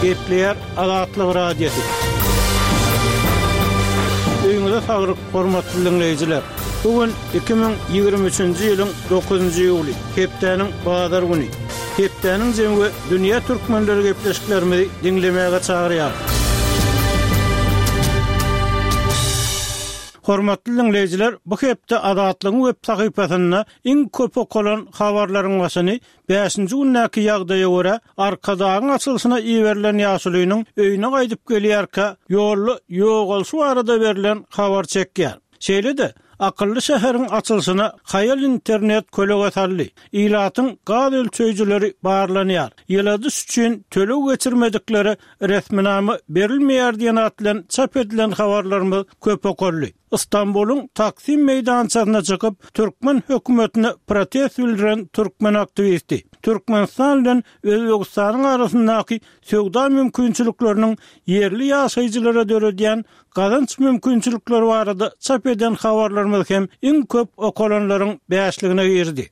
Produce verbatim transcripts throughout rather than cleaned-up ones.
Gepleýär Azatlyk Radiosy. Öýüňize saglyk, hormatly dinleýjiler. Bu gün iki müň ýigrimi üçünji ýylyň dokuzynjy iýuly, hepdäniň bazar güni. Hepdäniň jemi we dünýä türkmenleri gepleşiklerimizi diňlemäge çagyrýar. Hormatly dinleýjiler, bu hepde Azatlygyň web sahypasynda iň köp okalan habarlaryň başyny bäşinji gündäki ýagdaýa görä, Arkadagyň açylyşyna iberilen ýaşulynyň öýüne gaýdyp gelýärkä, ýolda ýogalşy barada berlen habar çekýär. Şeýle-de, akylly şäheriň açylyşyna haýal internet kölege saldy. Ilatyň gaz ölçeýjileri barlanýar. Ýyladyş üçin töleg geçirmediklere resminama berilmeýär diýen at bilen çap edilen habarlarymyz köp okaldy. Istanbulyň Taksim meýdançasyna çykyp, türkmen hökümetine protest bildiren türkmen aktiwisti, Türkmenistan bilen Özbegistanyň arasyndaky söwda mümkinçilikleriniň ýerli ýaşaýjylara döredýän gazanç mümkinçilikleri barada çap eden habarlarymyz hem iň köp okalanlaryň bäşligine girdi.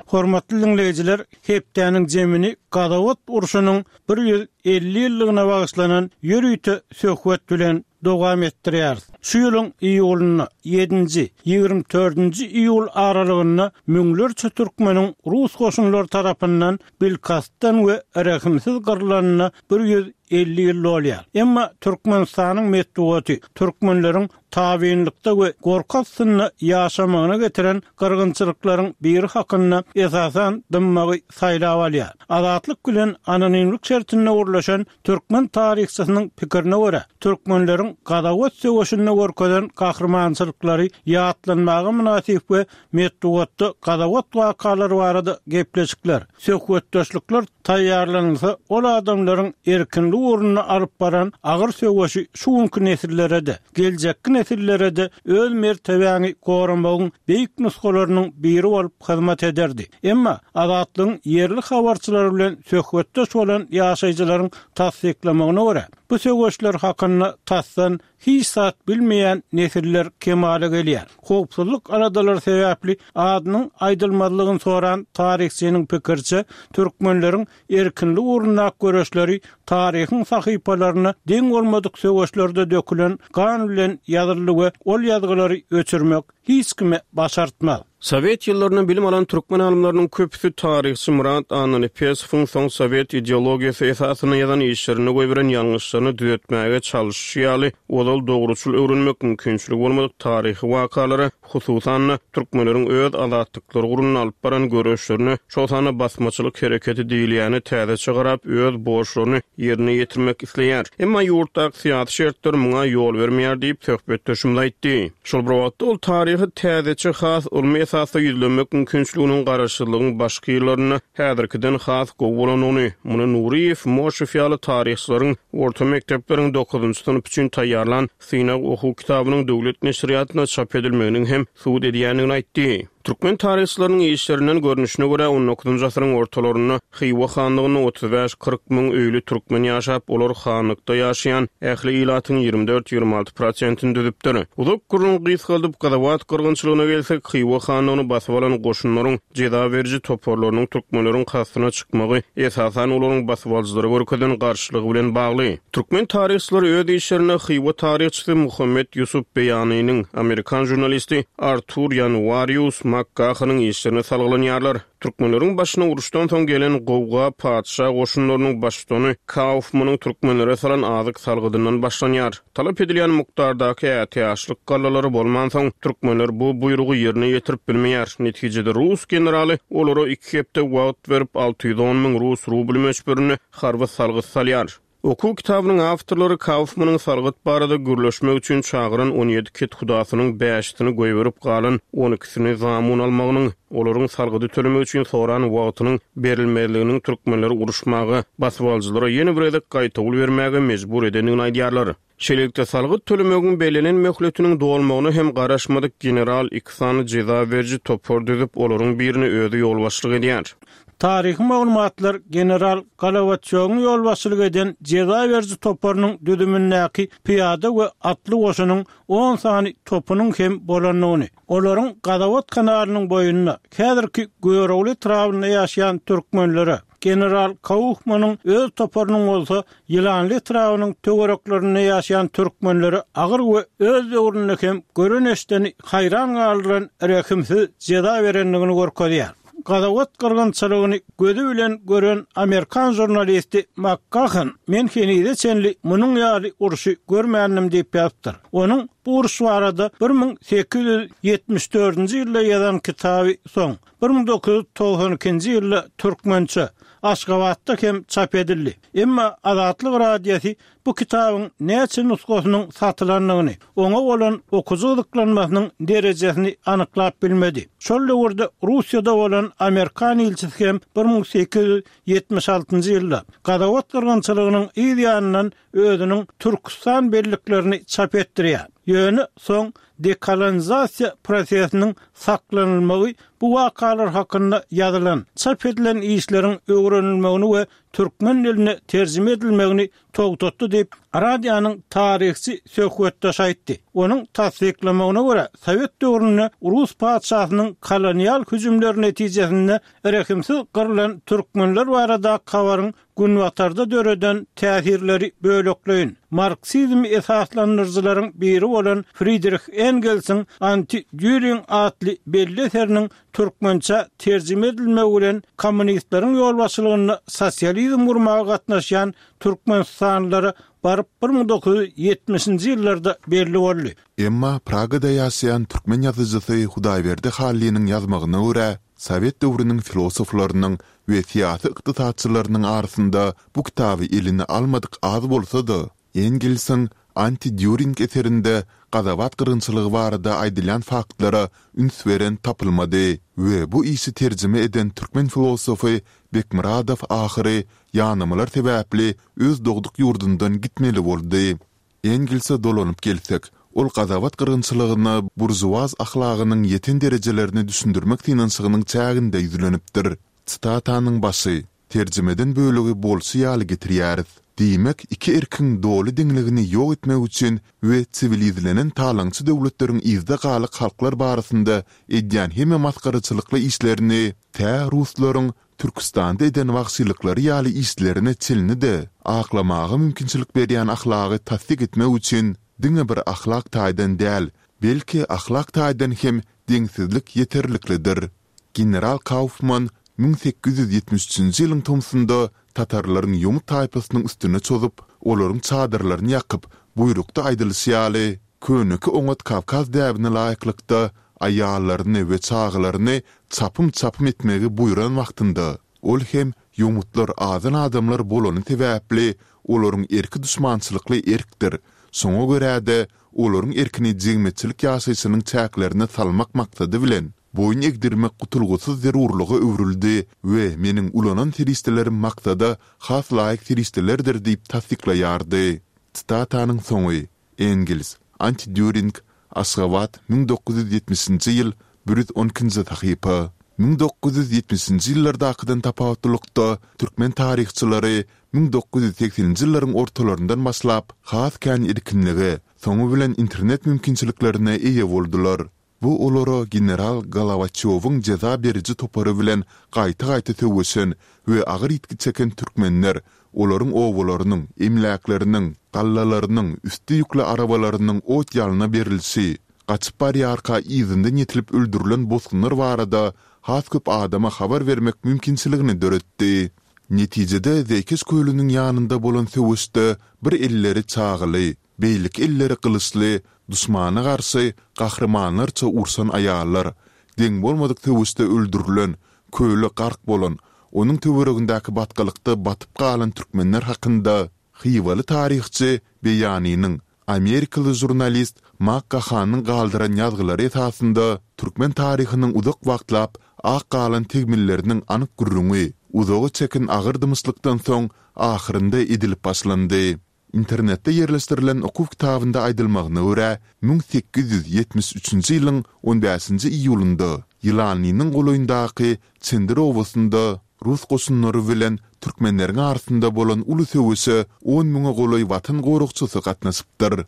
Hormatly dinleýjiler, hepdäniň jemini Gazawat urşunyň bir ýüz elli ýyllygyna bagyşlanan ýörite söhbet bilen dowam etdirýäris. Şu ýylyň iýulynda ýedinji, ýigrimi dördünji iýul aralygynda müňlerçe türkmeniň rus goşunlary tarapyndan bilkastdan we rehimsiz gyrylanyna bir ýüz elli ýyl bolýar. Emma Türkmenistanyň metbugaty türkmenleriň tabynlykda we gorky astynda ýaşamagyna getiren gyrgynçylyklaryň biri hakynda esasan dymmagy saýlap alýar. Azatlyk bilen anonimlik şertinde gurlaşan türkmen taryhçysynyň pikirine görä, türkmenleriň Gazawat söweşinde görkezen gahrymançylyklary ýatlanmaga mynasyp we metbugatda Gazawat wakalary barada gepleşikler, söhbetdeşlikler taýýarlanylsa, ol adamlaryň erkinlik ugrunda alyp baran agyr söweşi şu günkü nesillere-de, geljekki nesillere-de öz mertebäňi goramagyň beýik nusgalarynyň biri bolup hyzmat ederdi. Emma Azatlygyň ýerli habarçylary bilen söhbetdeş bolan ýaşaýjylaryň tassyklamagyna görä, bu söweşler hakynda tasdan hiç zat bilmeýän nesiller kemala gelýär. Howpsuzlyk aladalary sebäpli adynyň aýdylmazlygyny soran taryhçynyň pikiriçe, türkmenleriň erkinlik ugrundaky göreşleri taryhyň sahypalaryna deň bolmadyk söweşlerde dökülen gan bilen ýazyldy we ol ýazgylary öçürmek hiç kime başartmaz. Sowet ýyllarynda bilim alan türkmen alymlarynyň köpüsi taryhçy Murat Annanepesowyň soň Sowet ideologiýasy esasynda ýazan işlerini goýberen ýalňyşlaryny düzetmäge çalyşy ýaly ozal dogruçyl öwrenmek mümkinçiligi bolmadyk taryhy wakalara, hususan-da türkmenleriň öz azatlyklary ugrunda alyp baran göreşlerine, şol sanda basmaçylyk hereketi diýilýäni täzeçe garap öz borçlaryny ýerine ýetirmek isleýär. Emma ýurtdaky syýasy şertler muňa ýol bermeýär diýip söhbetdeşimiz aýtdy. Şol bir wagtda ol taryhy täzeçe has ylmy esasda ýüzlenmek mümkinçiliginiň garaşsyzlygyň başky ýyllarynda häzirkiden has gowy bolanyny, muny Nuriýew, Moşew ýaly taryhçylaryň orta mekdepleriň dokuzynjy synp üçin taýýarlan synag okuw kitabynyň döwlet neşirýatynda çap edilmeginiň hem subut edýändigini aýtdy. Türkmen taryhçylarynyň işlerinden görnüşine görä on dokuzynjy asyryň ortalarynda Hywa hanlygynda otuz bäş kyrk müň öýli türkmen ýaşap, olar hanlykda ýaşaýan ähli ilatyň ýigrimi dört ýigrimi alty prosentini düzüpdir. Uzak gürrüň gysgaldyp Gazawat gyrgynçylygyna gelsek, Hywa hanlygyny basyp alan goşunlaryň jeza beriji toparlarynyň türkmenleriň kastyna çykmagy esasan olaryň basyp alyjylara görkezen garşylygy bilen bagly. Türkmen taryhçylary öz işlerinde Hywa taryhçysy Muhammet Ýusup Beýanynyň, Amerikan jurnalisti Artur Januarius Makkahanyň işlerine salgylanýarlar. Türkmenleriň başyna uruşdan soň gelen gowga patyşa goşunlarynyň baştutany Kaufmanyň türkmenlere salan azyk salgydyndan başlanýar. Talap edilýän mukdardaky ätiýaçlyk gallalary bolmansoň, türkmenler bu buýrugy ýerine ýetirip bilmeýär. Netijede rus generaly olara iki hepde wagt berip alty ýüz on müň rus rubl möçberinde harby salgyt salýar. Okuw kitabynyň awtorlary Kaufmanyň salgyt barada gürleşmek üçin çagyran on ýedi kethudasynyň bäşisini goýberip galan on ikisini zamun almagynyň, olaryň salgydy tölemek üçin soran wagtynyň berilmezliginiň türkmenleri uruşmaga, basyp alyjylara ýene bir gezek gaýtawul bermäge mejbur edendigini aýdýarlar. Şeýlelikde salgyt tölemegiň bellenen möhletiniň dolmagyna hem garaşmadyk general iki sany jeza beriji topar düzüp, olaryň birini özi ýolbaşçylyk edýär. Taryhy maglumatlar general Golowaçowyň ýolbaşçylyk eden jeza beriji toparynyň düzümindäki pyýada we atly goşunyň on sany topunyň hem bolandygyny, olaryň Gazawat kanalynyň boýunda häzirki Görogly etrabynda ýaşaýan türkmenlere, general Kaufmanyň öz toparynyň bolsa Ýylanly etrabynyň töwereklerinde ýaşaýan türkmenlere agyr we öz döwründe hem gören eşdeni haýran galdyran rehimsiz jeza berendigini görkezýär. Gazawat gyrgynçylygyny gözi bilen gören amerikan žurnalisti McGahan men henize çenli munuň ýaly urşy görmändim diýip ýazypdyr. Onuň bu uruş barada bir müň sekiz ýüz ýetmiş dördünji ýylda ýazan kitaby soň bir müň dokuz ýüz togsan ikinji ýylda türkmençe Aşgabatda hem çap edildi. Emma Azatlyk Radiosy bu kitabyň näçe nusgasynyň satylandygyny, oňa bolan okyjy gyzyklanmasynyň derejesini anyklap bilmedi. Şol döwürde Russiýada bolan Amerikan ilçisi hem bir müň sekiz ýüz ýetmiş altynjy ýylda Gazawat gyrgynçylygynyň yz ýanyndan özüniň Türküstan belliklerini çap etdirýär. Ýöne soň dekolonizasiýa prosesiniň saklanylmagy bu wakalar hakynda ýazylan, çap edilen işleriň öwrenilmegini we türkmen diline terjime edilmegini togtatdy diýip, radionyň taryhçy söhbetdeşi aýtdy. Onuň tassyklamagyna görä, Sowet döwründe Rus patyşasynyň kolonial hüjümleri netijesinde rehimsiz gyrylan türkmenler barada habaryň Günbatarda döreden täsirleri bölekleýin, marksizm esaslandyryjylaryň biri bolan Fridrih Engelsiň Anti-Düring atly belli eseriniň türkmençe terjime edilmegi bilen kommunistleriň ýolbaşçylygynda sosializm gurmaga gatnaşýan türkmenistanlylara baryp bir müň dokuz ýüz ýetmişinji ýyllarda belli boldy. Emma Pragada ýaşaýan türkmen ýazyjysy Hudaýberdi Hallynyň ýazmagyna görä, sowet döwrüniň filosoflarynyň we syýasy ykdysatçylarynyň arasynda bu kitaby eline almadyk az bolsa-da, Engelsiň Anti-Dýuring eserinde Gazawat gyrgynçylygy barada aýdylýan faktlara üns beren tapylmady we bu işi terjime eden türkmen filosofy Bekmyradow ahyry ýanamalar sebäpli öz dogduk ýurdundan gitmeli boldy. Engelse dolanyp gelsek, ol Gazawat gyrgynçylygyna buržuaz ahlagynyň ýeten derejelerini düşündirmek synanyşygynyň çäginde ýüzlenipdir. Sitatanyň başy, terjimeden bölegi bolşy ýaly getirýäris. Diýmek, iki erkiň doly deňligini ýok etmek üçin we siwilizlenen talaňçy döwletleriň yzda galyk halklar barasynda edýän hemme masgaraçylykly işlerini tä ruslaryň Türküstanda eden wagşylyklary ýaly işlerine çenli-de aklamaga mümkinçilik berýän ahlagy tassyk etmek üçin diňe bir ahlak taýdan däl, belki ahlak taýdan hem deňsizlik ýeterliklidir. General Kaufman müň sekiz ýüz ýetmiş üçünji ýylyň tomsunda tatarlaryň ýomut taýpasynyň üstüne çozup, olaryň çadyrlaryny ýakyp, buýrukda aýdylyşy ýaly, köneki oňat kawkaz däbine laýyklykda aýallaryny we çagalaryny çapym-çapym etmegi buýran wagtynda, ol hem ýomutlar azan adamlar bolany sebäpli olaryň erki duşmançylykly erkdir, şoňa görä-de olaryň erkini jemgyýetçilik ýaşaýşynyň çäklerine salmak maksady bilen boýun egdirmek gutulgysyz zerurlyga öwrüldi we meniň ulanan serişdelerim maksada has laýyk serişdelerdir diýip tassyklaýardy. Sitatanyň soňy. Engels, Anti-Dýuring, Aşgabat, müň dokuz ýüz ýetmişinji ýyl, bir ýüz on ikinji sahypa. Müň dokuz ýüz ýetmişinji ýyllardakydan tapawutlylykda, türkmen taryhçylary müň dokuz ýüz segseninji ýyllaryň ortalaryndan başlap has kän erkinlige, soňy bilen internet mümkinçiliklerine eýe boldular. Bu olara general Golowaçýowyň jeza beriji topary bilen gaýta-gaýta söweşen we agyr ýitgi çeken türkmenler, olaryň obalarynyň, emläkleriniň, gallalarynyň, üsti ýükli arabalarynyň ot-ýalna berilişi, gaçyp barýarka yzyndan ýetilip öldürilen bosgunlar barada has köp adama habar bermek mümkinçiligini döretdi. Netijede Zeýkeş kölüniň ýanynda bolan söweşde bir elleri çagaly, beýleki elleri gylyçly duşmana garşy gahrymanlarça urşan aýallar, deň bolmadyk söweşde öldürilen, köle gark bolan, onuň töweregindäki batgalykda batyp galan türkmenler hakynda hywaly taryhçy Beýanynyň, amerikaly žurnalist Mak Gahanyň galdyran ýazgylary esasynda türkmen taryhynyň uzak wagtlap ak galan tegmilleriniň anyk gürrüňi, uzaga çeken agyr dymyşlykdan soň ahyrynda edilip başlandy. Internetde ýerleşdirilen okuw kitabynda aýdylmagyna görä, müň sekiz ýüz ýetmiş üçünji ýylyň on bäşinji iýulynda Ýylanlynyň golaýyndaky Çendir obasynda rus goşunlary bilen türkmenleriň arasynda bolan uly söweşe on müňe golaý Watan goragçysy gatnaşypdyr.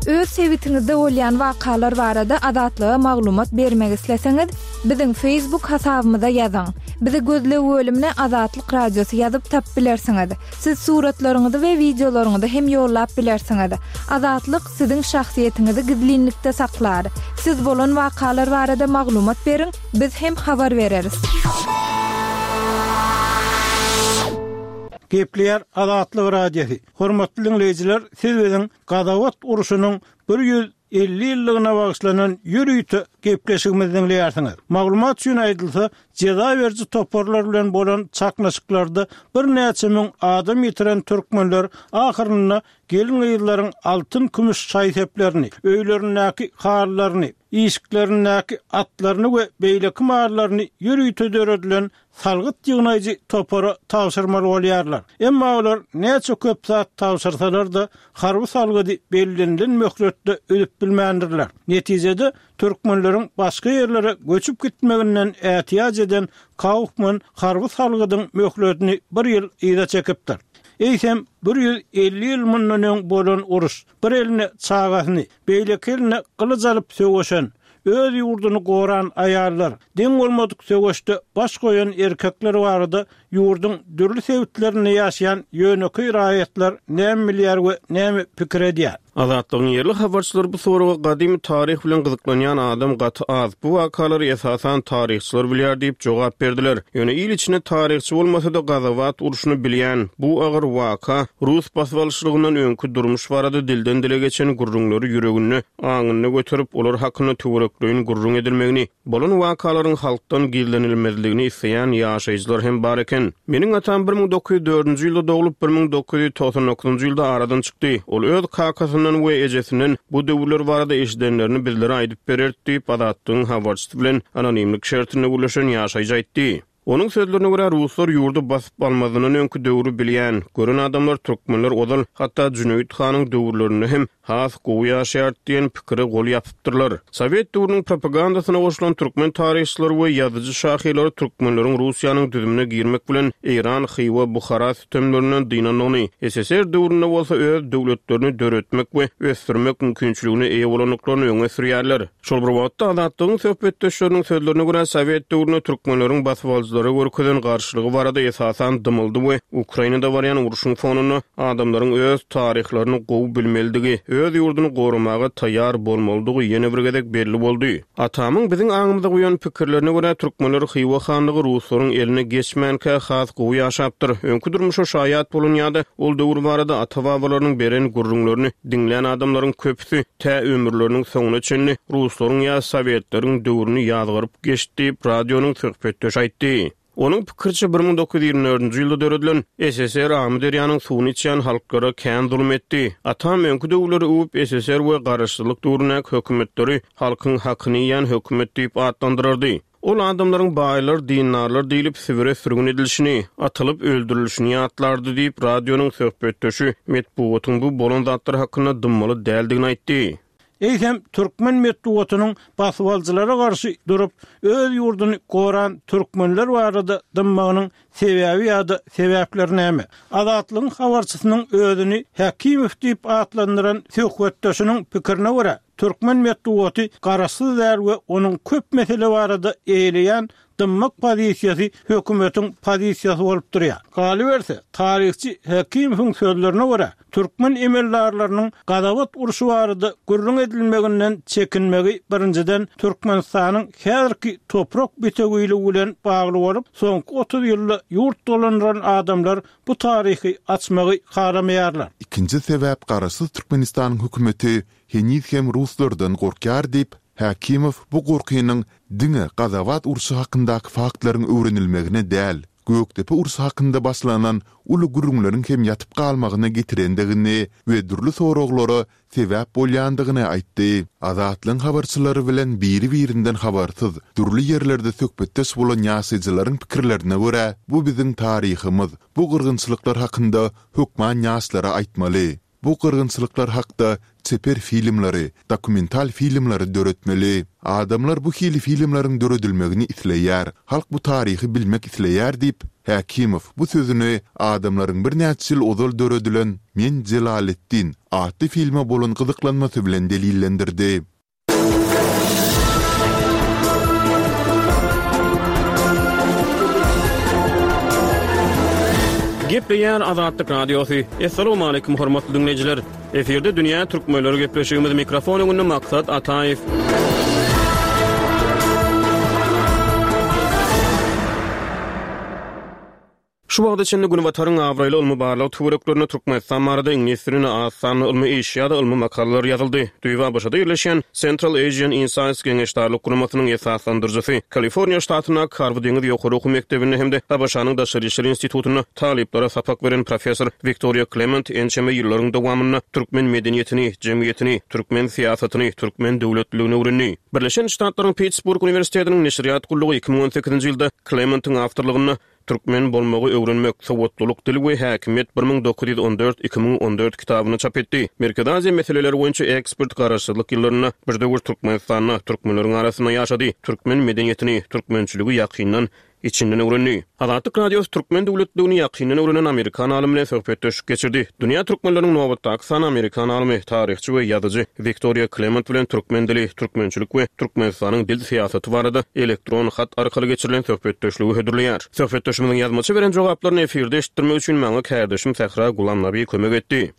Öz Öz sebitiňizde bolýan wakalar barada Azatlyga maglumat bermek isleseňiz, biziň Facebook hasabymyza ýazyň. Bizi gözleg bölümine Azatlyk Radiosy ýazyp tapyp bilersiňiz. Siz suratlaryňyzy we wideolaryňyzy hem ýollap bilersiňiz. Azatlyk siziň şahsyýetiňizi gizlinlikde saklar. Siz bolan wakalar barada maglumat beriň, biz hem habar bereris. Gepleýär Azatlyk Radiosy. Hormatly dinleýjiler, siz biziň Gazawat urşunyň bir ýüz elli ýyllygyna bagyşlanan ýörite gepleşigimizi dinleýärsiňiz. Maglumat üçin aýdylsa, jeza beriji toparlar bilen bolan çaknyşyklarda birnäçe müň adam ýitiren türkmenler ahyrynda gelin-gyzlaryň altyn kümüş şaý-seplerini, öýlerindäki halylaryny, işiklerindäki atlaryny we beýleki mallaryny ýörite döredilen salgyt ýygnaýjy topara tabşyrmaly bolýarlar. Emma olar näçe köp zat tabşyrsalar-da, harby salgydy bellenilen möhletde üzüp bilmändirler. Netijede türkmenleriň başga ýerlere göçüp gitmeginden ätiýaç eden Kaufman harby salgydyň möhletini bir ýyl yza çekipdir. Eýsem bir ýüz elli ýyl mundan öň bolan uruş, bir eline çagasyny, beýleki eline gylyç alyp söweşen, öz ýurduny goran aýallar, deň bolmadyk söweşde baş goýan erkekler barada ýurduň dürli sebitlerinde ýaşaýan ýönekeý raýatlar näme bilýär we näme pikir edýär? Azatlygyň ýerli habarçylary bu soraga gadymy taryh bilen gyzyklanýan adam gaty az, bu wakalary esasan taryhçylar bilýär diýip jogap berdiler. Ýöne il içinde taryhçy bolmasa-da Gazawat urşuny bilýän, bu agyr waka rus basybalyşlygyndan öňki durmuş barada dilden dile geçen gürrüňleri ýüreginde, aňynda göterip, olar hakynda töwerekleýin gürrüň edilmegini, bolan wakalaryň halkdan gizlenilmezligini isleýän ýaşaýjylar hem bar eken. Meniň atam bir müň dokuz ýüz dördünji ýylda doglup, bir müň dokuz ýüz togsan dokuzynjy ýylda aradan çykdy. Ol öz kakasyndan we ejesinden bu döwürler barada eşidenlerini bizlere aýdyp bererdi diýip, Azatlygyň habarçysy bilen anonimlik şertinde gürleşen ýaşaýjy aýtdy. Onuň sözlerine görä, ruslar ýurdy basyp almazyndan öňki döwri bilýän, gören adamlar türkmenler ozal, hatda Jüneýit hanyň döwürlerinde hem has gowy ýaşaýardy diýen pikire gol ýapypdyrlar. Sowet döwrüniň propagandasyna goşulan türkmen taryhçylary we ýazyjy şahyrlary türkmenleriň Russiýanyň düzümine girmek bilen Eýran, Hywa, Buhara sütemlerinden dynandygyny, S S R döwründe bolsa öz döwletlerini döretmek we ösdürmek mümkinçiligine eýe bolandyklaryny öňe sürýärler. Şol bir wagtda Azatlygyň söhbetdeşleriniň sözlerine görä, Sowet döwründe türkmenleriň basybalyjylara görkezen garşylygy barada esasan dymyldy we Ukrainada barýan urşuň fonunda adamlaryň öz taryhlaryny gowy bilmelidigi, öz ýurduny goramaga taýýar bolmalydygy ýene bir gezek belli boldy. Atamyň biziň aňymyza goýan pikirlerine görä, türkmenler Hywa hanlygy ruslaryň eline geçmänkä has gowy ýaşapdyr. Öňki durmuşa şaýat bolan ýa-da ol döwür barada ata-babalarynyň beren gürrüňlerini diňlän adamlaryň köpüsi tä ömürleriniň soňuna çenli ruslaryň ýa sowetleriň döwrüni ýazgaryp geçdi diýip, radionyň söhbetdeşi aýtdy. Onuň pikiriçe bir müň dokuz ýüz ýigrimi dördünji ýylda döredilen S S R Amyderýanyň suwuny içýän halklara kän zulum etdi. Atam öňki döwürleri öwüp S S R we garaşsyzlyk döwründäki hökümetleri halkyň hakyny iýen hökümet diýip atlandyrardy. Ol adamlaryň baýlar, dindarlar diýlip Sibire sürgün edilişini, atylyp öldürilişini ýatlardy diýip, radionyň söhbetdeşi metbugatyň bu bolan zatlar hakynda dymmaly däldigini aýtdy. Eýsem türkmen metbugatynyň basybalyjylara garşy durup, öz ýurduny goran türkmenler barada dymmagynyň sebäbi ýa-da sebäpleri näme? Azatlygyň habarçysynyň özüni Hakimow diýip atlandyran söhbetdeşiniň pikirine görä, türkmen metbugaty garaşsyz däl we onuň köp mesele barada eýeleýän dymmak pozisiýasy hökümetiň pozisiýasy bolup durýar. Galyberse, taryhçy Hakimowyň sözlerine görä, türkmen emeldarlarynyň Gazawat urşy barada gürrüň edilmeginden çekinmegi birinjiden Türkmenistanyň häzirki toprak bitewiligi bilen bagly bolup, soňky otuz ýylda ýurt dolandyran adamlar bu taryhy açmagy halamaýarlar. Ikinji sebäp garaşsyz Türkmenistanyň hökümeti heniz hem ruslardan gorkýar diýip, Hakimow bu gorkynyň diňe Gazawat urşy hakyndaky faktlaryň öwrenilmegine däl, Gökdepe urşy hakynda başlanan uly gürrüňleriň hem ýatyp galmagyna getirendigini we dürli soraglara sebäp bolýandygyny aýtdy. Azatlygyň habarçylary bilen biri-birinden habarsyz, dürli ýerlerde söhbetdeş bolan ýaşaýjylaryň pikirlerine görä, bu biziň taryhymyz, bu gyrgynçylyklar hakynda hökman ýaşlara aýtmaly. Bu gyrgynçylyklar hakda çeper filmleri, dokumental filmleri döretmeli. Adamlar bu hili filmleriň döredilmegini isleýär, halk bu taryhy bilmek isleýär diýip, Hekimow bu sözüni adamlaryň birnäçe ýyl ozal döredilen Men Jelaleddin atly filme bolan gyzyklanmasy bilen delillendirdi. Gepleýär Azatlyk Radiosy. Essalamu aleýkum hormatly diňleýjiler. Efirde Dünýä Türkmenleri gepleşigimiz mikrofon öňünde Maksat Ataýew. Şu wagta çenli Günbataryň abraýly ylmy barlag töwereklerinde Türkmenistan barada iňlis dilinde az sanly ylmy iş ýa-da ylmy makalalar ýazyldy. Düýbi ABŞ-da ýerleşýän Central Asian Insights geňeşdarlyk guramasynyň esaslandyryjysy, Kaliforniýa ştatyndaky Harby deňiz ýokary okuw mekdebinde hem-de ABŞ-nyň Daşary işler institutynda talyplara sapak beren professor Wiktoriýa Klement ençeme ýyllaryň dowamynda türkmen medeniýetini, jemgyýetini, türkmen syýasatyny, türkmen döwletliligini öwrendi. Birleşen Ştatlaryň Pittsburgh uniwersitetiniň neşirýat gullugy iki müň on sekizinji ýylda Klementiň awtorlygynda Türkmen bolmagy öwrenmek, sowatlylyk, dil we häkimiýet bir müň dokuz ýüz on dört, iki müň on dört kitabyny çap etdi. Merkezi Aziýa meseleleri boýunça ekspert garaşsyzlyk ýyllarynda bir döwür Türkmenistanda türkmenleriň arasynda ýaşady, türkmen medeniýetini, türkmençiligi ýakyndan, içinden öwrendi. Azatlyk Radiosy türkmen döwletligini ýakyndan öwrenen amerikan alymy bilen söhbetdeşlik geçirdi. Dünýä türkmenleriniň nobatdaky sany amerikan alymy, taryhçy we ýazyjy Wiktoriýa Klement bilen türkmen dili, türkmençilik we Türkmenistanyň dil syýasaty barada elektron hat arkaly geçirilen söhbetdeşligi hödürleýär. Söhbetdeşimiziň ýazmaça beren jogaplaryny efirde eşitdirmek üçin maňa kärdeşim Sähra Gulamnabi kömek etdi.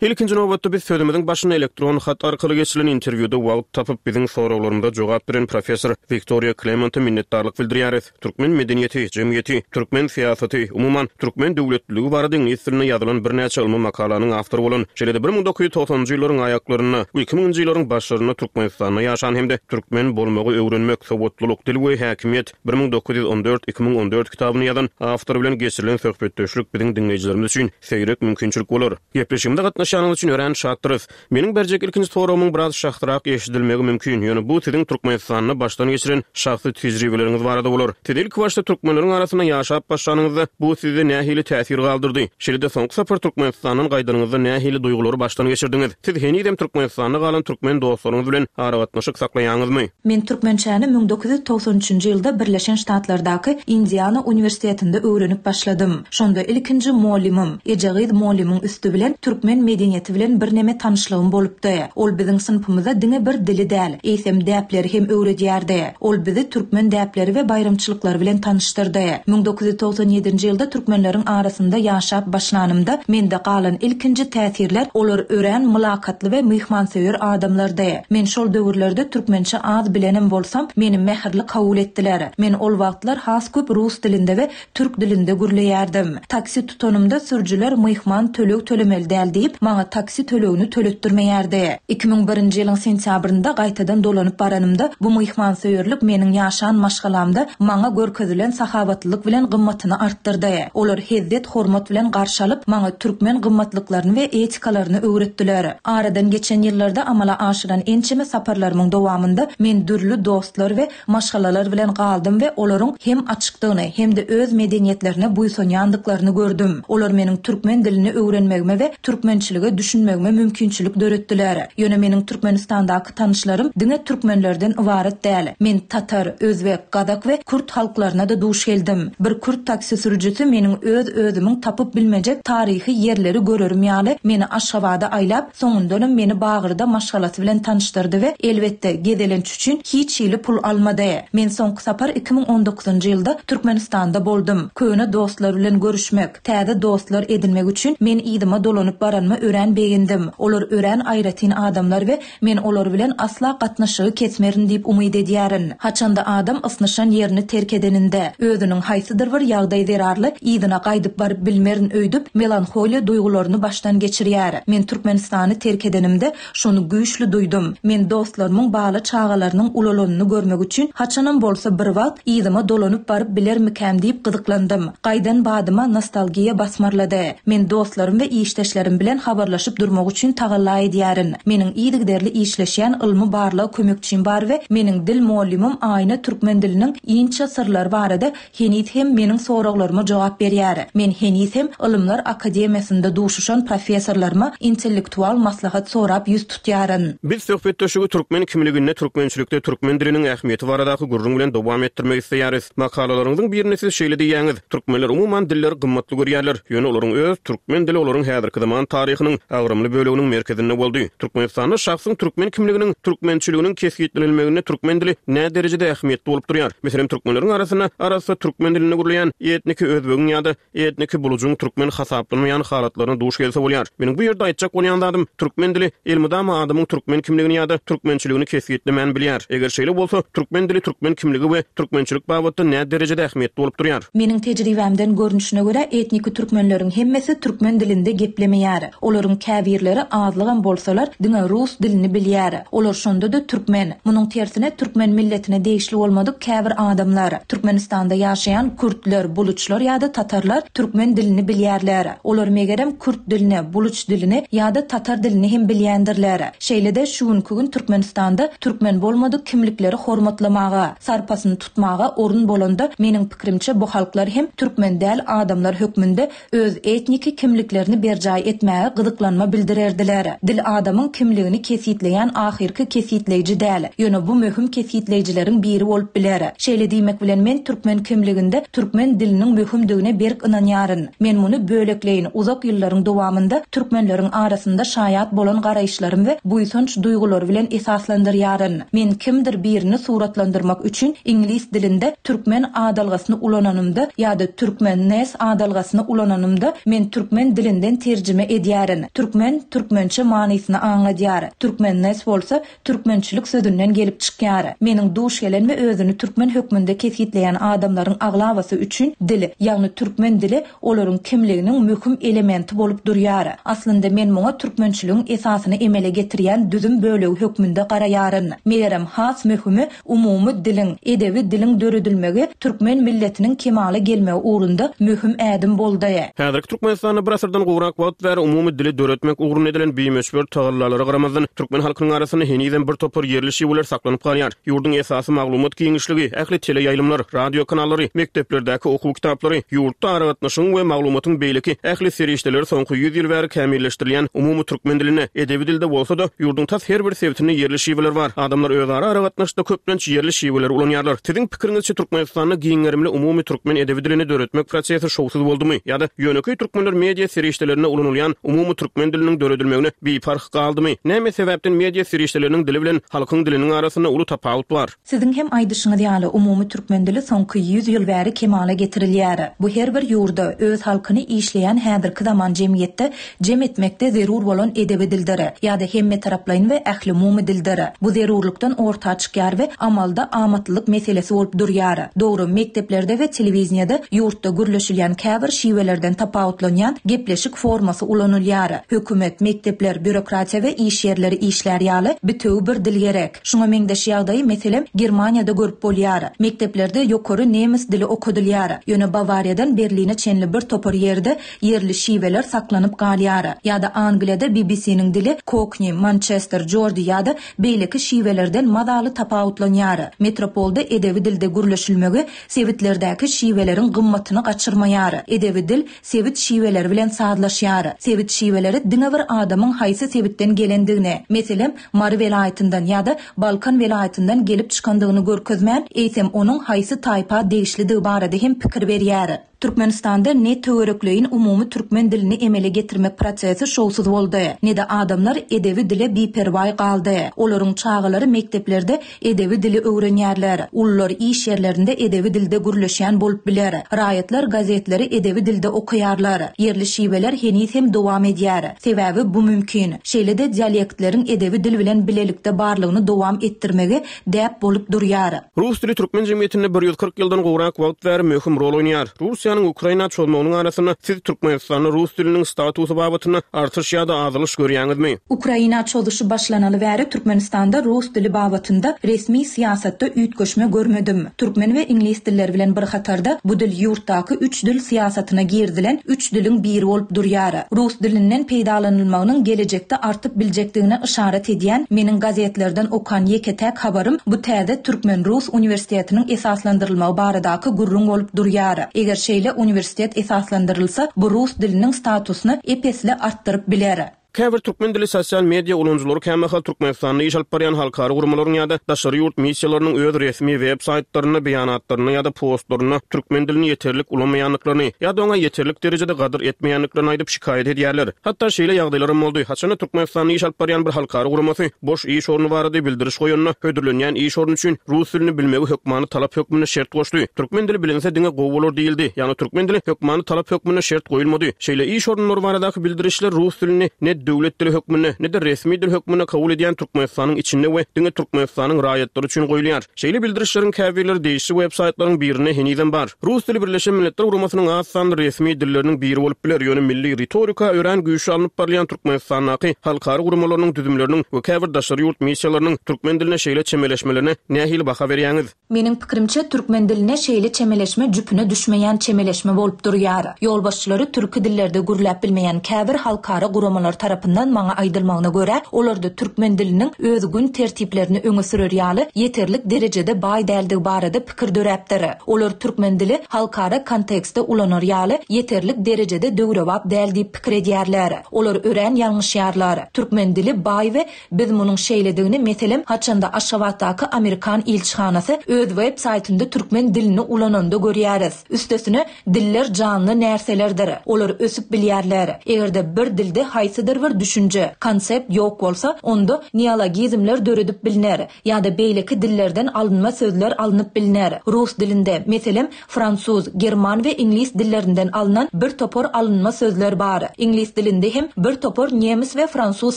Ilkinji nobatda biz sözümiziň başynda elektron hat arkaly geçirilen interwýuda wagt tapyp biziň soraglarymyza jogap beren professor Wiktoriýa Klemente minnetdarlyk bildirýäris. Türkmen medeniýeti, jemgyýeti, türkmen syýasaty, umuman türkmen döwletliligi barada iňlis dilinde ýazylan birnäçe ylmy makalanyň awtory bolan, şeýle-de bir müň dokuz ýüz togsanynjy ýyllaryň aýaklarynda we iki müňünji ýyllaryň başlarynda Türkmenistanda ýaşan hem-de türkmen bolmagy öwrenmek, sowatlylyk, dil we häkimiýet bir müň dokuz ýüz on dört, iki müň on dört kitabyny ýazan awtor bilen geçirilen söhbetdeşlik biziň diňleýjilerimiz üçin seýrek mümkinçilik bolar. Gepleşigimize gatnaşýanyňyz üçin örän şatdyrys. Meniň berjek ilkinji soragymyň biraz şahsyrak eşidilmegi mümkin. Ýöne bu siziň Türkmenistanda başdan geçiren şahsy tejribeleriňiz barada bolar. Siz ilki başda türkmenleriň arasynda ýaşap başlanyňyzda bu sizde nähili täsir galdyrdy? Şeýle-de soňky sapar Türkmenistandan gaýdanyňyzda nähili duýgulary başdan geçirdiňiz? Siz henizem Türkmenistanda galan türkmen dostlaryňyz bilen aragatnaşyk saklaýaňyzmy? Men türkmençäni müň dokuz ýüz togsan üçünji ýylda Birleşen Ştatlardaky Indiana uniwersitetinde öwrenip başladym. Şonda ilkinji mollimim, Ejegyz mollimiň üsti bilen türkmen medeniýeti bilen birneme tanyşlygym bolupdy. Ol biziň synpymyza diňe bir dili däl, eýsem däpleri hem öwredýärdi. Ol bizi türkmen däpleri we baýramçylyklary bilen tanyşdyrdy. Müň dokuz ýüz togsan ýedinji ýylda türkmenleriň arasynda ýaşap başlanymda mende galan ilkinji täsirler olar örän mylakatly we myhmansöýer adamlardy. Men şol döwürlerde türkmençe az bilenem bolsam, meni mähirli kabul etdiler. Men ol wagtlar has köp rus dilinde we türk dilinde gürleýärdim. Taksi tutanymda sürüjiler myhman töleg tölemeli däl diýip, maňa taksi tölegini töletdirmeýärdi. Iki müň birinji ýylyň sentýabrynda gaýtadan dolanyp baranymda bu myhmansöýerlik meniň ýaşan maşgalamda maňa görkezilen sahabatlylyk bilen gymmatyny artdyrdy. Olar hezzet hormat bilen garşy alyp, maňa türkmen gymmatlyklaryny we etikalaryny öwretdiler. Aradan geçen ýyllarda amala aşyran ençeme saparlarymyň dowamynda men dürli dostlar we maşgalalar bilen galdym we olaryň hem açykdygyny hem-de öz medeniýetlerine buýsanýandyklaryny gördüm. Olar meniň türkmen dilini öwrenmegime we türkmençilige düşünmegime mümkinçilik döretdiler. Ýöne meniň Türkmenistandaky tanyşlarym diňe türkmenlerden ybarat däl. Men tatar, özbek, gazak we kürt halklaryna da duş geldim. Bir kürt taksi sürüjisi meniň öz özümiň tapyp bilmejek taryhy ýerleri görerim ýaly meni Aşgabada aýlap, soňundanam meni Bagyrda maşgalasy bilen tanyşdyrdy we elbetde gezelenç üçin hiç hili pul almady. Men soňky sapar iki müň on dokuzynjy ýylda Türkmenistanda boldum. Köne dostlar bilen görüşmek, täze dostlar edinmek üçin men yzyma dolanyp baranyma örän begendim. Olar örän aýratyn adamlar we men olar bilen asla gatnaşygy kesmerin diýip umyt edýärin. Haçanda adam ysnyşan ýerini terk edeninde, özüniň haýsydyr bir ýagdaý zerarly yzyna gaýdyp baryp bilmerin öýdüp melanholiýa duýgularyny başdan geçirýär. Men Türkmenistany terk edenimde şony güýçli duýdum. Men dostlarymyň bala çagalarynyň ulalanyny görmek üçin haçanam bolsa bir wagt yzyma dolanyp baryp bilermikäm diýip gyzyklandym. Gaýdan badyma nostalgiýa basmarlady. Men dostlarym we işdeşlerim bilen habarlaşyp durmak üçin tagalla edýärin. Meniň yzygiderli işleşýän ylmy barlag kömekçim bar we meniň dil mugallymym Aýna türkmen diliniň inçe syrlary barada heniz hem meniň soraglaryma jogap berýär. Men heniz hem Ylymlar akademiýasynda duşuşan professorlaryma intellektual maslahat sorap ýüz tutýaryn. Biz söhbetdeşligi türkmen kimliginde, türkmençilikde türkmen diliniň ähmiýeti baradaky gürrüň bilen dowam etdirmek isleýäris. Makalalaryňyzyň birinde siz şeýle diýýäňiz: Türkmenler umuman dilleri gymmatly görýärler, ýöne olaryň öz türkmen dili olaryň häzirki zaman taryhynyň agramly böleginiň merkezinde boldy. Türkmenistanda şahsyň türkmen kimliginiň, türkmençiliginiň kesgitlenilmeginde türkmen dili nä derejede ähmiýetli bolup durýar? Meselem, türkmenleriň arasynda arassa türkmen dilinde gürleýän etniki özbegiň ýa-da etniki bulujyň türkmen hasaplanmaýan halatlaryna duş gelse bolýar. Meniň bu ýerde aýtjak bolýan zadym, türkmen dili elmydama adamyň türkmen kimligini ýa-da türkmençiligini kesgitlemän bilýär. Eger şeýle bolsa, türkmen dili türkmen kimligi we türkmençilik babatda nä derejede ähmiýetli bolup durýar? Meniň tejribämden görnüşine görä, etniki türkmenleriň hemmesi türkmen dilinde geplemeýär. Olaryň käbirleri azlygam bolsalar, diňe rus dilini bilýär. Olar şonda-da türkmen. Munuň tersine türkmen milletine degişli bolmadyk käbir adamlar, Türkmenistanda ýaşaýan kürtler, buluçlar ýa-da tatarlar türkmen dilini bilýärler. Olar megerem kürt dilini, buluç dilini ýa-da tatar dilini hem bilýändirler. Şeýle-de şu günki gün Türkmenistanda türkmen bolmadyk kimlikleri hormatlamaga, sarpasyny tutmaga orun bolanda, meniň pikirimçe bu halklar hem türkmen däl adamlar hökmünde öz etniki kimliklerini berjaý etmäge gyzyklanma bildirerdiler. Dil adamyň kimligini kesgitleýän ahyrky kesgitleýji däl, ýöne bu möhüm kesgitleýjileriň biri bolup biler. Şeýle diýmek bilen men türkmen kimliginde türkmen diliniň möhümdigine berk ynanýaryn. Men muny bölekleýin uzak ýyllaryň dowamynda türkmenleriň arasynda şaýat bolan garaýyşlarym we buýsanç duýgulary bilen esaslandyrýaryn. Men kimdir birini suratlandyrmak üçin iňlis dilinde türkmen adalgasyny ulananymda ýa-da türkmen-nes adalgasyny ulananymda men türkmen dilinden terjime edýärin. Türkmen türkmençe manysyny aňladýar. Türkmen-nes bolsa türkmençilik sözünden gelip çykýar. Meniň duş gelen we özüni türkmen hökmünde kesgitleýän adamlaryň aglabasy üçin dil, ýagny türkmen dili olaryň kimliginiň möhüm elementi bolup durýar. Aslynda men muňa türkmençiligiň esasyny emele getirýän düzüm bölegi hökmünde garaýaryn. Megerem has möhümi umumy diliň, edebi diliň döredilmegi türkmen milletiniň kemala gelmegi ugrunda möhüm ädim boldy. Häzirki Türkmenistanda bir asyrdan gowrak wagt bäri umumy dili döretmek ugrunda edilen bimöçber tagallalara garamazdan, türkmen halkynyň arasynda henizem bir topar ýerli şiweler saklanyp galýar. Ýurduň esasy maglumat giňişligi, ähli teleýaýlymlar, radio kanallary, mekdeplerdäki okuw kitaplary, ýurtda aragatnaşygyň we maglumatyň beýleki ähli serişdeleri soňky ýüz ýyl bäri kämilleşdirilýän umumy türkmen dilinde, edebi dilde bolsa-da, ýurduň tas her bir sebitinde ýerli şiweler bar. Adamlar özara aragatnaşykda köplenç ýerli şiweleri ulanýarlar. Siziň pikiriňizçe Türkmenistanda giň gerimli umumy türkmen edebi dilini döretmek prosesi şowsuz boldumy ýa-da ýönekeý türkmenler media serişdelerinde ulanylýan umumy türkmen diliniň döredilmegine biparh galdymy? Näme sebäpden media serişdeleriniň dili bilen halkyň diliniň arasynda uly tapawut bar? Siziň hem aýdyşyňyz ýaly, umumy türkmen dili soňky ýüz ýyl bäri kemala getirilýär. Bu her bir ýurda öz halkyny işleýän häzirki zaman jemgyýetde jem etmekde zerur bolan edebi dildir ýa-da hemmetaraplaýyn we ählumumy dildir. Bu zerurlykdan orta çykýar we amalda amatlylyk meselesi bolup durýar. Dogry, mekdeplerde we telewizýada ýurtda gürleşilýän käbir şiwelerden tapawutlanýan gepleşik formasy ulanylýar. Hökümet, mekdepler, býurokratiýa we iş ýerleri işlär ýaly bitewi bir dil gerek. Şuňa meňzeş ýagdaýy, meselem, Germaniýada görüp bolýar. Mekdeplerde ýokary nemes dili okadylýar. Ýöne Bawariýadan Berline çenli bir topar ýerde ýerli şiweler saklanyp galýar. Ýa-da Angliýada B B C-niň dili Kokni, Mançester, Jordi ýa-da beýleki şiwelerden mazaly tapawutlanýar. Metropolda edebi dilde gürleşilmegi sebitlerdäki şiweleriň gymmatyny gaçyrmaýar. Edebi dil sebit şiweleri bilen sazlaşýar. Sebit şiweleri diňe bir adamyň haýsy sebitden gelendigini, meselem, Mary welaýatyndan ýa-da Balkan welaýatyndan gelip çykandygyny görkezmän, eýsem onuň haýsy taýpa degişlidigi barada hem pikir berýär. Türkmenistanda ne töwerekleýin umumy türkmen dilini emele getirmek prosesi şowsuz boldy, ne-de adamlar edebi dile biperwaý galdy. Olaryň çagalary mekdeplerde edebi dili öwrenýärler. Ulular iş ýerlerinde edebi dilde gürleşýän bolup biler. Raýatlar gazetleri edebi dilde okaýarlar. Ýerli şiweler heniz hem dowam edýär. Sebäbi bu mümkin. Şeýle-de dialektleriň edebi dil bilen bilelikde barlygyny dowam etdirmegi däp bolup durýar. Rus dili türkmen jemgyýetinde bir ýüz kyrk ýyldan gowrak wagt bäri möhüm rol oýnaýar. Russiýanyň Russiýanyň Ukraina çozmagynyň arasynda siz Türkmenistanda rus diliniň statusy babatynda artyş ýa-da azalyş görýäňizmi? Ukraina çozuşy başlanaly bäri Türkmenistanda rus dili babatynda resmi syýasatda üýtgeşme görmedim. Türkmen we iňlis dilleri bilen bir hatarda bu dil ýurtdaky üç dil syýasatyna girizilen üç diliň biri bolup durýar. Rus dilinden peýdalanylmagynyň gelejekde artyp biljekdigine yşarat edýän meniň gazetlerden okan ýeke-täk habarym bu täze Türkmen-Rus uniwersitetiniň esaslandyrylmagy baradaky gürrüň bolup durýar. Eger şeýle uniwersitet esaslandyrylsa, bu rus diliniň statusyny ep-esli artdyryp biler. Käbir türkmen dili sosial media ulanyjylary kämahal Türkmenistanda iş alyp barýan halkara guramalaryň ýa-da daşary ýurt missiýalarynyň öz resmi web saýtlarynda beýanatlarynda ýa-da postlarynda türkmen dilini ýeterlik ulanmaýandyklaryny ýa-da oňa ýeterlik derejede gadyr etmeýändiklerini aýdyp şikaýat edýärler. Hatda şeýle ýagdaýlar hem boldy. Haçanda Türkmenistanda iş alyp barýan bir halkara guramasy boş iş orny barada bildiriş goýanda hödürlenýän iş orny üçin rus dilini bilmegi hökmany talap hökmünde şert goşdy. Türkmen dili bilinse diňe gowy bolar diýildi. Ýagny türkmen dili hökmany talap hökmünde şert goýulmady. Şeýle iş orunlary baradaky bildirişler rus dilini ne döwlet dili hökmünde, ne-de resmi dil hökmünde kabul edýän Türkmenistanyň içinde we diňe Türkmenistanyň raýatlary üçin goýulýar. Şeýle bildirişleriň käbirleri degişli web saýtlaryň birinde henizem bar. Rus dili Birleşen Milletler Guramasynyň az sanly resmi dilleriniň biri bolup biler, ýöne milli ritorika örän güýçli alnyp barylýan Türkmenistandaky halkara guramalarynyň düzümleriniň we käbir daşary ýurt missiýalarynyň türkmen diline şeýle çemeleşmelerine nähili baha berýäňiz? Meniň pikirimçe, türkmen diline şeýle çemeleşme jüpüne düşmeýän çemeleşme bolup durýar. Ýolbaşçylary türki dillerde gürläp bilmeýän käbir halkara guramalar tarapyndan maňa aýdylmagyna görä, olarda türkmen diliniň öz gün tertiplerini öňe sürer ýaly ýeterlik derejede baý däldigi barada pikir döräpdir. Olar türkmen dili halkara kontekstde ulanar ýaly ýeterlik derejede döwrebap däl diýip pikir edýärler. Olar örän ýalňyşýarlar. Türkmen dili baý we biz munuň şeýledigini, meselem, haçanda Aşgabatdaky Amerikan ilçihanasy öz web saýtynda türkmen dilini ulananda görýäris. Üstesine, diller janly närselerdir. Olar ösüp bilýärler. Eger-de bir dilde haýsydyr bir düşünje, konsept ýok bolsa, onda neologizmler döredip bilner ýa-da beýleki dillerden alynma sözler alnyp bilner. Rus dilinde, meselem, fransuz, german we iňlis dillerinden alnan bir topar alynma sözler bar. Iňlis dilinde hem bir topar nemes we fransuz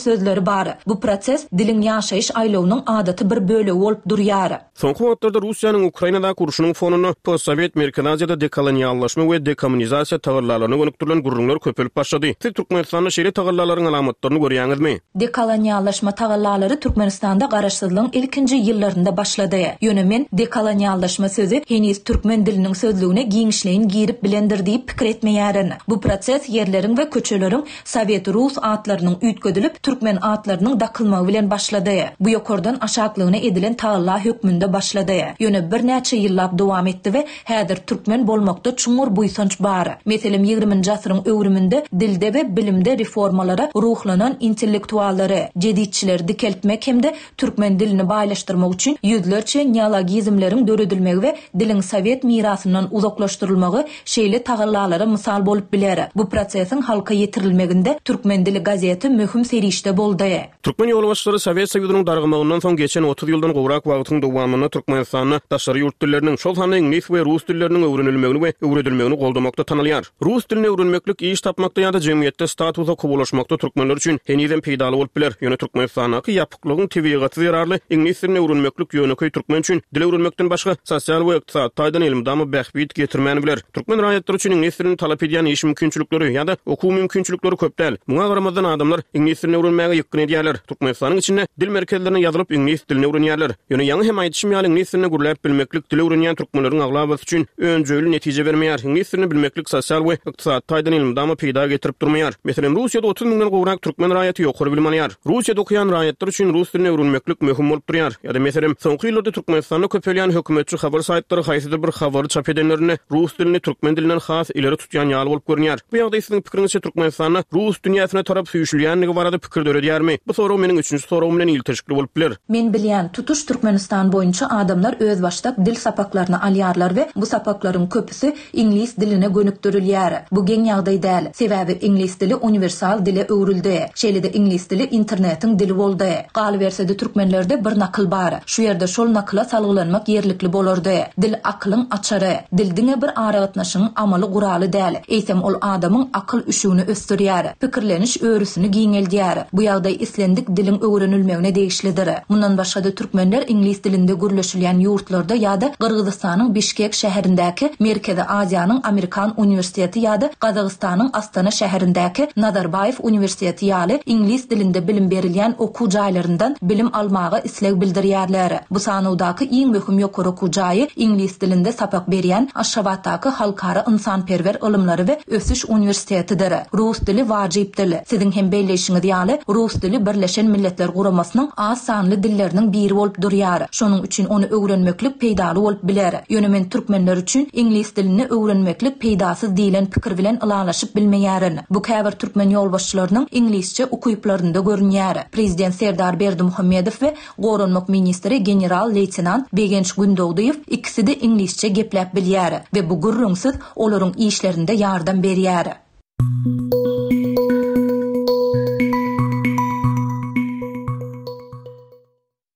sözleri bar. Bu proses diliň ýaşaýyş aýlawynyň adaty bir bölegi bolup durýar. Soňky wagtlarda Russiýanyň Ukrainadaky urşunyň fonunda postsowet Merkezi Aziýada dekoloniallaşma we dekommunizasiýa tagallalaryna gönükdirilen gürrüňler köpelip başlady. Siz Türkmenistanda şeýle tagallalaryň alamatlaryny görýäňizmi? Dekoloniallaşma tagallalary Türkmenistanda garaşsyzlygyň ilkinji ýyllarynda başlady. Ýöne men dekoloniallaşma sözi heniz türkmen diliniň sözlügine giňişleýin girip bilendir diýip pikir etmeýärin. Bu proses ýerleriň we köçeleriň sowet-rus atlarynyň üýtgedilip, türkmen atlarynyň dakylmagy bilen başlady. Bu ýokardan aşaklygyna edilen tagalla hökmünde başlady. Ýöne birnäçe ýyllap dowam etdi we häzir türkmen bolmakda çuňňur buýsanç bar. Meselem, ýigriminji asyryň öwrüminde dilde we bilimde reformalara ruhlanan intellektuallary, jeditçileri dikeltmek hem-de türkmen dilini baýlaşdyrmak üçin ýüzlerçe neologizmleriň döredilmegi we diliň sowet mirasyndan uzaklaşdyrylmagy şeýle tagallalara mysal bolup biler. Bu prosesiň halka ýetirilmeginde Türkmen dili gazeti möhüm serişde boldy. Türkmen ýolbaşçylary Sowet Soýuzynyň dargamagyndan soň geçen otuz ýyldan gowrak wagtyň dowamynda Türkmenistanda daşary ýurt dilleriniň, şol sanda iňlis we rus dilleriniň öwrenilmegini we öwredilmegini goldamakda tanalýar. Rus dilini öwrenmeklik iş tapmakda ýa-da jemgyýetde statusa kowalaşmakda türkmenler üçin henizem peýdaly bolup biler. Ýöne Türkmenistandaky ýapyklygyň tebigaty zerarly iňlis dilini öwrenmeklik ýönekeý türkmen üçin dil öwrenmekden başga sosial we ykdysady taýdan elmydama bähbit getirmän biler. Türkmen raýatlary üçin iňlis dilini talap edýän iş mümkinçilikleri ýa-da okuw mümkinçilikleri köp däl. Muňa garamazdan adamlar iňlis dilini öwrenmäge ýykgyn edýärler. Türkmenistanyň içinde dil merkezlerine ýazylyp iňlis dilini öwrenýärler. Ýöne ýaňy hem aýdyşym ýaly iňlis dilini gürläp bilmeklik dil öwrenýän türkmenleriň aglabasy üçin önjeýli netije bermeýär. Iňlis dilini bilmeklik sosial we ykdysady taýdan elmydama peýda getirip durmaýar. Meselem, Russiýada otuz müňden gowrak türkmen raýaty ýokary bilim alýar. Russiýada okaýan raýatlar üçin rus dilini öwrenmeklik möhüm bolup durýar. Ýa-da meselem, soňky ýyllarda Türkmenistanda köpelýän hökümetçi habar saýtlary haýsydyr bir habary çap edenlerinde rus dilini türkmen dilinden has ileri tutýan ýaly bolup görünýär. Bu ýagdaý siziň pikiriňizçe Türkmenistanda rus dünýäsine tarap süýşülýändigi barada pikir döredýärmi? Bu sorag meniň üçünji soragym bilen ilteşikli bolup biler. Men bilýän, tutuş Türkmenistan boýunça adamlar özbaşdak dil sapaklaryny alýarlar we bu sapaklaryň köpüsi iňlis diline gönükdirilýär. Bu geň ýagdaý däl. Sebäbi iňlis dili uniwersal dile öwrüldi. öwrüldi. Şeýle-de iňlis dili internetiň dili boldy. Galyberse-de türkmenlerde bir nakyl bar. Şu ýerde şol nakyla salgylanmak ýerlikli bolardy, Dil akylyň açary. Dil diňe bir aragatnaşygyň amaly guraly däl, eýsem ol adamyň akyl üşügini ösdürýär, pikirleniş örüsini giňeldýär. Bu ýagdaý islendik diliň öwrenilmegine degişlidir. Mundan başga-da türkmenler iňlis dilinde gürleşilýän ýurtlarda ýa-da Gyrgyzystanyň Bişkek şäherindäki Merkezi Aziýanyň Amerikan uniwersiteti ýa-da Gazagystanyň Astana şäherindäki Nazarbaýew uniwersiteti ýaly iňlis dilinde bilim berilýän okuw jaýlaryndan bilim almaga isleg bildirýärler. Bu sanawdaky iň möhüm ýokary okuw jaýy iňlis dilinde sapak berýän Aşgabatdaky Halkara ynsanperwer ylymlary we ösüş uniwersitetidir. Rus dili wajyp dil. Siziň hem belleýşiňiz ýaly, rus dili Birleşen Milletler Guramasynyň az sanly dilleriniň biri bolup durýar. Şonuň üçin ony öwrenmeklik peýdaly bolup biler. Ýöne men türkmenler üçin iňlis dilini öwrenmeklik peýdasyz diýlen pikir bilen ylalaşyp bilmeýärin. Bu käbir türkmen ýolbaşçylarynyň iňlisçe ukyplarynda görünýär. Prezident Serdar Berdimuhamedow we Goranmak ministri general-leýtenant Begenç Gündogdyýew ikisi-de iňlisçe gepläp bilýär we bu gürrüňsiz olaryň işlerinde ýardam berýär.